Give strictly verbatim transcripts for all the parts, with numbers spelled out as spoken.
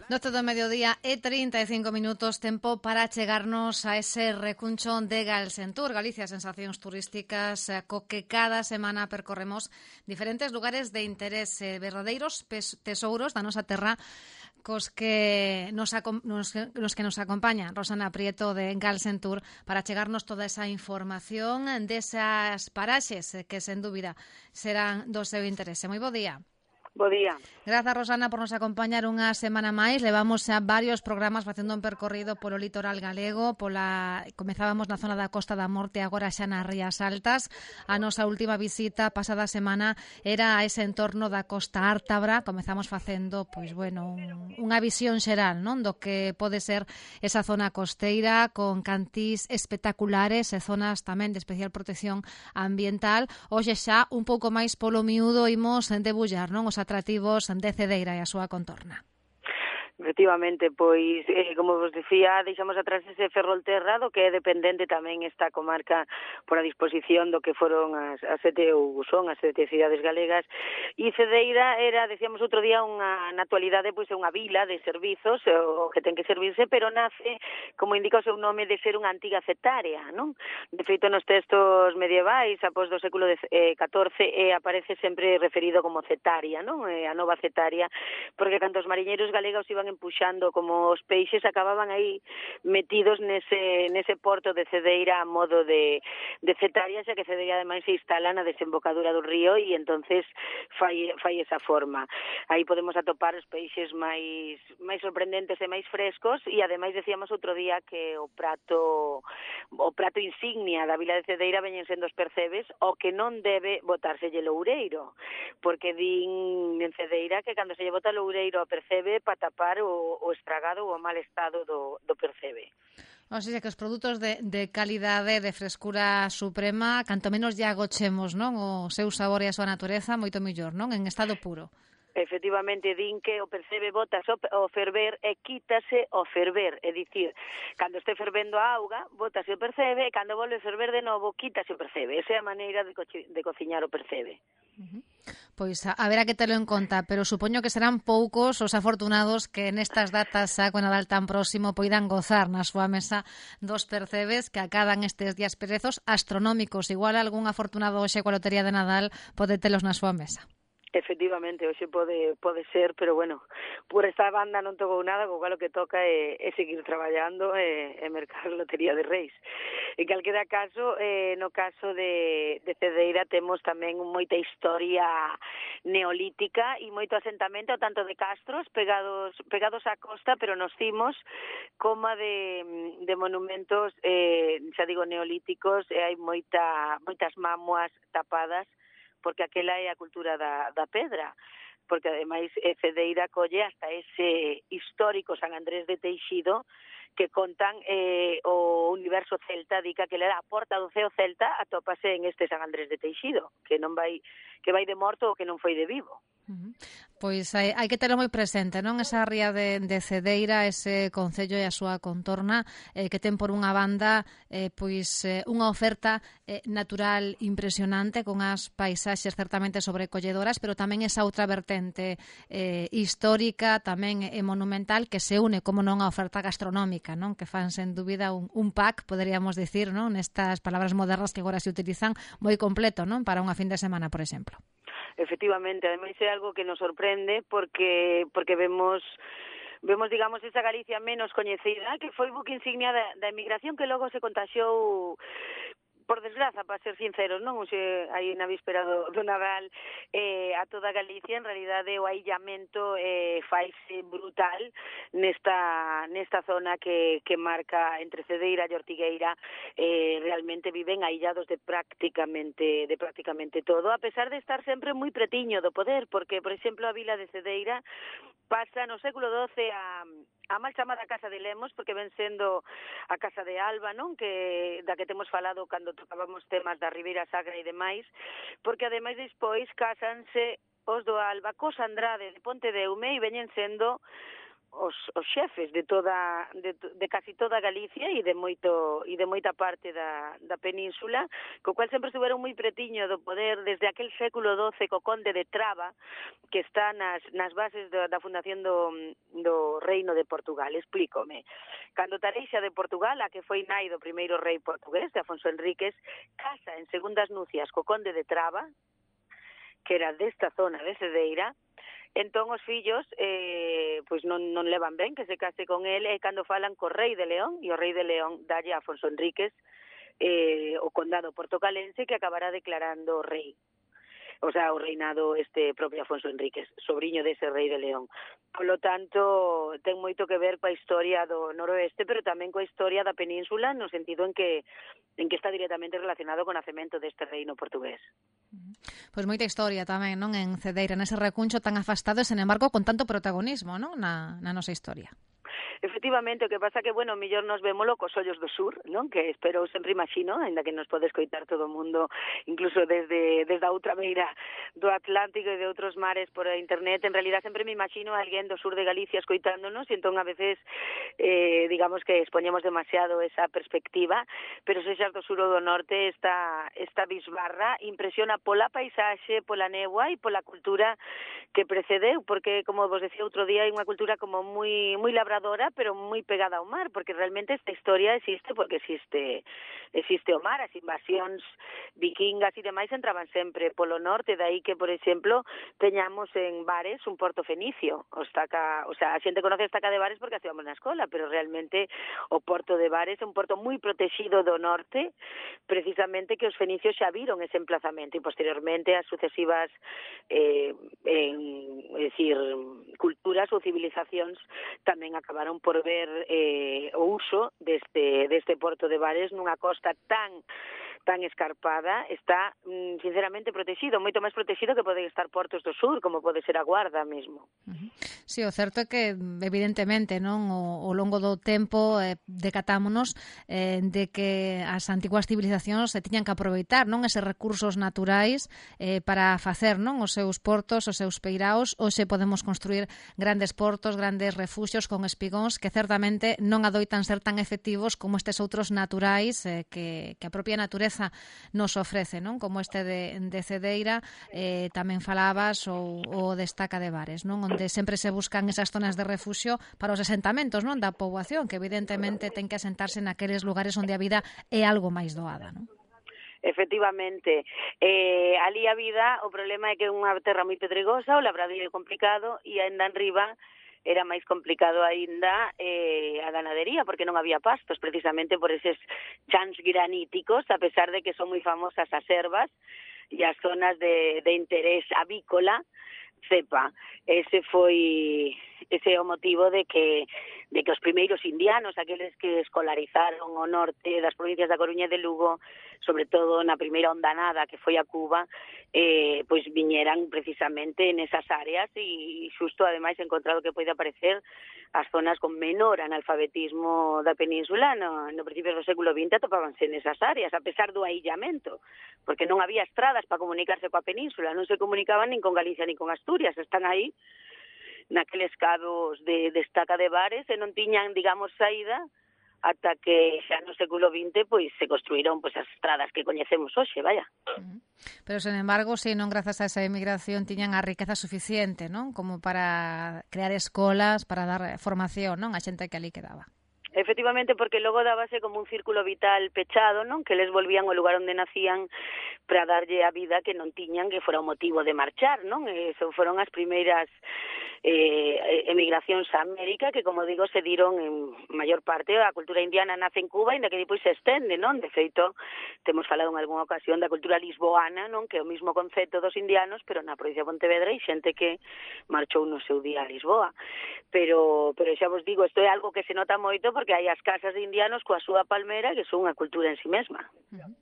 doce do mediodía e trinta e cinco minutos, tempo para chegarnos a ese recuncho de Galsentur, Galicia, sensacións turísticas, co que cada semana percorremos diferentes lugares de interese, verdadeiros tesouros da nosa terra, cos que nos, nos, nos que nos acompaña Rosana Prieto de Galsentur para chegarnos toda esa información desas paraxes que, sen dúbida, serán do seu interese. Moi bo día. Bo día. Grazas, Rosana, por nos acompañar unha semana máis. Levamos xa varios programas facendo un percorrido polo litoral galego, pola comezábamos na zona da Costa da Morte, agora xa nas Rías Altas. A nosa última visita pasada semana era a ese entorno da Costa Ártabra. Comezamos facendo, pois bueno, un, unha visión xeral, non, do que pode ser esa zona costeira con cantís espectaculares e zonas tamén de especial protección ambiental. Hoxe xa un pouco máis polo miúdo imos debullar, non, os atrativos de Cedeira e a súa contorna. Efectivamente, pois, eh, como vos dicía, deixamos atrás ese Ferrolterra, do que é dependente tamén esta comarca por a disposición do que foron as, as sete ou son as sete cidades galegas, e Cedeira era, decíamos outro día, unha, na actualidade, pois é unha vila de servizos, o que ten que servirse, pero nace, como indica o seu nome, de ser unha antiga cetárea, non? De feito, nos textos medievais, após do século catorce, eh, aparece sempre referido como cetaria, non? Eh, a nova cetaria, porque cando os mariñeiros galegos iban empuxando como os peixes, acababan aí metidos nese nese porto de Cedeira a modo de, de cetaria, xa que Cedeira ademais se instala na desembocadura do río e entonces fai, fai esa forma. Aí podemos atopar os peixes máis máis sorprendentes e máis frescos, e ademais decíamos outro día que o prato o prato insignia da vila de Cedeira veñen sendo os percebes, o que non debe botárselle loureiro, porque din en Cedeira que cando se lle bota loureiro a percebe para tapar o, o estragado ou o mal estado do, do percebe. O sea, que os produtos de, de calidade, de frescura suprema, canto menos lle agochemos, non, o seu sabor e a súa natureza, moito mellor, non, en estado puro. Efectivamente, din que o percebe botas o ferver e quítase o ferver, é dicir, cando este fervendo a auga, botase o percebe, e cando volve a ferver de novo, quítase o percebe. Esa é a maneira de, co de cociñar o percebe. Uh-huh. Pois a, a ver a que telo en conta, pero supoño que serán poucos os afortunados que nestas datas xa con Nadal tan próximo poidan gozar na súa mesa dos percebes que acadan estes días perezos astronómicos. Igual algún afortunado hoxe coa lotería de Nadal pode telos na súa mesa. Efectivamente, hoxe pode pode ser, pero bueno, por esta banda non tocou nada, co cal o que toca é, é seguir traballando e, e mercar lotería de Reis. En calquera caso, eh, no caso de, de Cedeira temos tamén moita historia neolítica e moito asentamento, tanto de castros pegados pegados á costa, pero nos cimos, como de, de monumentos, eh, xa digo, neolíticos, e hai moita moitas mamuas tapadas, porque aquela é a cultura da, da pedra, porque ademais Cedeira colle hasta ese histórico San Andrés de Teixido, que contan eh, o universo celta, dica que era a porta do ceo celta, atópase en este San Andrés de Teixido, que non vai que vai de morto ou que non foi de vivo. Uh-huh. Pois hai, hai que terlo moi presente, non? Esa ría de, de Cedeira, ese concello e a súa contorna, eh, que ten por unha banda eh, pois eh, unha oferta eh, natural impresionante, con as paisaxes certamente sobrecolledoras, pero tamén esa outra vertente eh, histórica, tamén e monumental, que se une, como non, a oferta gastronómica, non? Que fan sen dúbida un, un pack, poderíamos dicir, non? Nestas palabras modernas que agora se utilizan, moi completo, non? Para unha fin de semana, por exemplo. Efectivamente, ademais é algo que nos sorprende porque porque vemos vemos, digamos, esa Galicia menos coñecida, que foi buque insignia da, da emigración, que logo se contaxiou, por desgraza, para ser sinceros, non? Xe, aí na víspera do, do Nadal, eh, a toda Galicia, en realidade, o aillamento eh, faise brutal nesta nesta zona que, que marca entre Cedeira e Ortigueira. Eh, realmente viven aillados de prácticamente de prácticamente todo, a pesar de estar sempre moi pretiño do poder, porque, por exemplo, a vila de Cedeira pasa no século doce a a mal chamada Casa de Lemos, porque ven sendo a Casa de Alba, non? Que da que temos falado cando tocábamos temas da Ribeira Sacra e demais, porque ademais despois cásanse os do Alba cos Andrade de Pontedeume e veñen sendo os, os xefes de toda de, de casi toda Galicia e de moito e de moita parte da, da península, co cual sempre estuveron moi pretiño do poder desde aquel século doce co conde de Traba, que está nas, nas bases da, da fundación do, do Reino de Portugal. Explícome. Cando Tareixa de Portugal, a que foi nai do primeiro rei portugués, de Afonso Enríquez, casa en segundas nupcias co conde de Traba, que era desta zona de Cedeira. Entón os fillos eh, pois non, non levan ben que se case con ele, e cando falan co rei de León, e o rei de León dalle a Afonso Enríquez eh, o condado portocalense, que acabará declarando rei. O sea, o reinado este propio Afonso Enríquez, sobrinho dese rei de León. Polo tanto, ten moito que ver coa historia do noroeste, pero tamén coa historia da península, no sentido en que en que está directamente relacionado co nacemento deste reino portugués. Pois moita historia tamén, non, en Cedeira, nese recuncho tan afastado, e, sen embargo, con tanto protagonismo, non, na, na nosa historia. Efectivamente, o que pasa que, bueno, mellor nos vémolo cos ollos do sur, non? Que espero, sempre imagino, ainda que nos pode escoitar todo o mundo, incluso desde desde a outra beira do Atlántico e de outros mares por internet, en realidad sempre me imagino a alguén do sur de Galicia escoitándonos, e entón a veces, eh, digamos que expoñemos demasiado esa perspectiva, pero se xas do sur ou do norte, esta, esta bisbarra impresiona pola paisaxe, pola néboa e pola cultura que precedeu, porque, como vos decía outro día, hai unha cultura como moi moi labradora, pero moi pegada ao mar, porque realmente esta historia existe porque existe existe o mar. As invasións vikingas e demais entraban sempre polo norte, dai que, por exemplo, teñamos en Bares un porto fenicio. O, estaca, o sea, a xente conoce a estaca de Bares porque a estivamos na escola, pero realmente o porto de Bares é un porto moi protegido do norte, precisamente que os fenicios xa viron ese emplazamento, e posteriormente as sucesivas eh, en, é dicir, culturas ou civilizacións tamén acabaron por ver eh, o uso deste, deste porto de Bares nunha costa tan tan escarpada. Está, sinceramente, protegido, moito máis protegido que poden estar portos do sur, como pode ser a Guarda mesmo. Sí, o certo é que, evidentemente, non, o, o longo do tempo eh, decatámonos eh, de que as antiguas civilizacións se tiñan que aproveitar, non, eses recursos naturais eh, para facer, non, os seus portos, os seus peiraos. Hoxe podemos construir grandes portos, grandes refuxios con espigóns que certamente non adoitan ser tan efectivos como estes outros naturais eh, que, que a propia natureza nos ofrece, non, como este de, de Cedeira. Eh, tamén falabas o, o destaca de Bares, non, onde sempre se buscan esas zonas de refuxio para os asentamentos, non, da poboación, que evidentemente ten que asentarse naqueles lugares onde a vida é algo máis doada, non? Efectivamente, eh, ali a vida, o problema é que é unha terra moi pedregosa, o labradoiro é complicado, e ainda en riba era máis complicado aínda eh, a ganadería, porque non había pastos, precisamente por eses chans graníticos, a pesar de que son moi famosas as ervas e as zonas de, de interés avícola, cepa. Ese foi ese é o motivo de que de que os primeiros indianos, aqueles que escolarizaron o norte das provincias da Coruña e de Lugo, sobre todo na primeira ondanada que foi a Cuba, eh, pois viñeran precisamente nesas áreas, e xusto ademais encontrado que pode aparecer as zonas con menor analfabetismo da península no, no principio do século vinte atopábanse nesas áreas, a pesar do aillamento, porque non había estradas para comunicarse coa península, non se comunicaban nin con Galicia nin con Asturias, están aí naqueles cados de, de estaca de Bares, e non tiñan, digamos, saída ata que xa no século vinte pois se construíron pois as estradas que coñecemos hoxe, vaya. Pero, sen embargo, si non grazas a esa emigración tiñan a riqueza suficiente, non, como para crear escolas, para dar formación, non, a xente que ali quedaba. Efectivamente, porque logo dábase como un círculo vital pechado, non, que les volvían ao lugar onde nacían para darlle a vida que non tiñan, que fora o motivo de marchar, non? Eso foron as primeiras eh, emigracións a América, que, como digo, se diron en maior parte. A cultura indiana nace en Cuba, ainda que depois se estende, non? De feito, temos falado en algunha ocasión da cultura lisboana, non? Que é o mismo concepto dos indianos, pero na provincia de Pontevedra, e xente que marchou no seu día a Lisboa. Pero, pero xa vos digo, isto é algo que se nota moito, porque hai as casas de indianos coa súa palmera, que son unha cultura en si mesma. Uh-huh.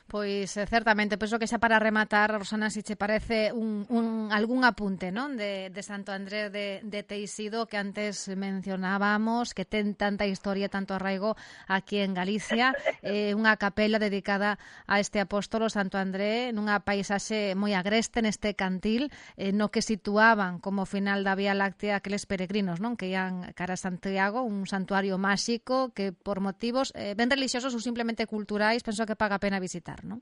Pois, certamente, penso que xa para rematar, Rosana, se che parece un, un, algún apunte, non, de, de Santo Andrés de, de Teixido que antes mencionábamos, que ten tanta historia, tanto arraigo aquí en Galicia, eh, unha capela dedicada a este apóstolo Santo André nunha paisaxe moi agreste neste cantil, eh, no que situaban como final da Vía Láctea aqueles peregrinos, non, que ian cara a Santiago, un santuario máxico que por motivos eh, ben religiosos ou simplemente culturais penso que paga a pena visitar, non?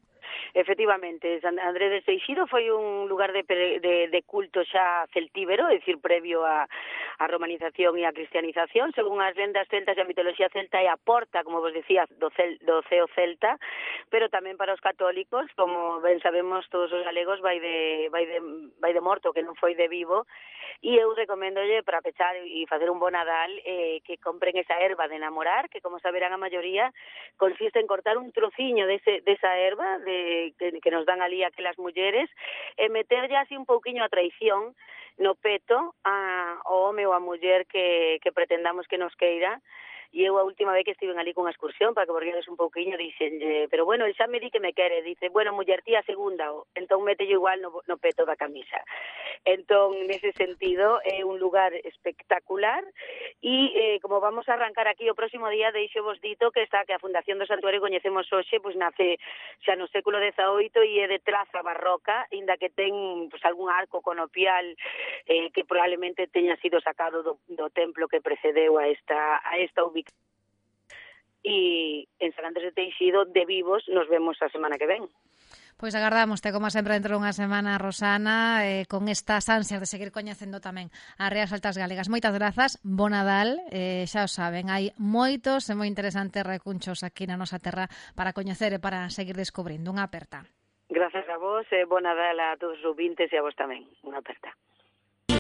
Efectivamente, San André de Teixido foi un lugar de, de, de culto xa celtíbero, é dicir, previo a, a romanización e a cristianización, según as lendas celtas e a mitoloxía celta, é a porta, como vos decía, do, cel, do ceo celta, pero tamén para os católicos, como ben sabemos todos os galegos, vai de, vai de, vai de morto, que non foi de vivo, e eu recomendolle para pechar e facer un bon Nadal eh, que compren esa erva de enamorar, que como saberán a maioría consiste en cortar un trociño dese, desa erva de Que, que nos dan ali aquelas mulleres e meterlle así un pouquiño a traición no peto a, ao home ou a muller que, que pretendamos que nos queira. E eu a última vez que estive ali con a excursión, para que borguedes un pouquiño, dixen, pero bueno, xa me di que me quere, dice, bueno, muller tía segunda, entón mételle igual no, no peto da camisa. Entón, nese sentido, é un lugar espectacular e eh, como vamos a arrancar aquí o próximo día, deixo vos dito que está que a Fundación do Santuario coñecemos hoxe, pois nace xa no século dezaoito e é de traza barroca, inda que ten pois, algún arco conopial eh, que probablemente teña sido sacado do, do templo que precedeu a esta, a esta ubicación. E en San Andrés de Teixido de vivos nos vemos a semana que ven. Pois agardámoste, como sempre, dentro dunha semana, Rosana, eh, con estas ansias de seguir coñecendo tamén as Rías Altas Galegas. Moitas grazas, bo Nadal, eh, xa o saben, hai moitos e moi interesantes recunchos aquí na nosa terra para coñecer e para seguir descubrindo. Unha aperta. Grazas a vos e bo Nadal a todos os ouvintes e a vos tamén. Unha aperta.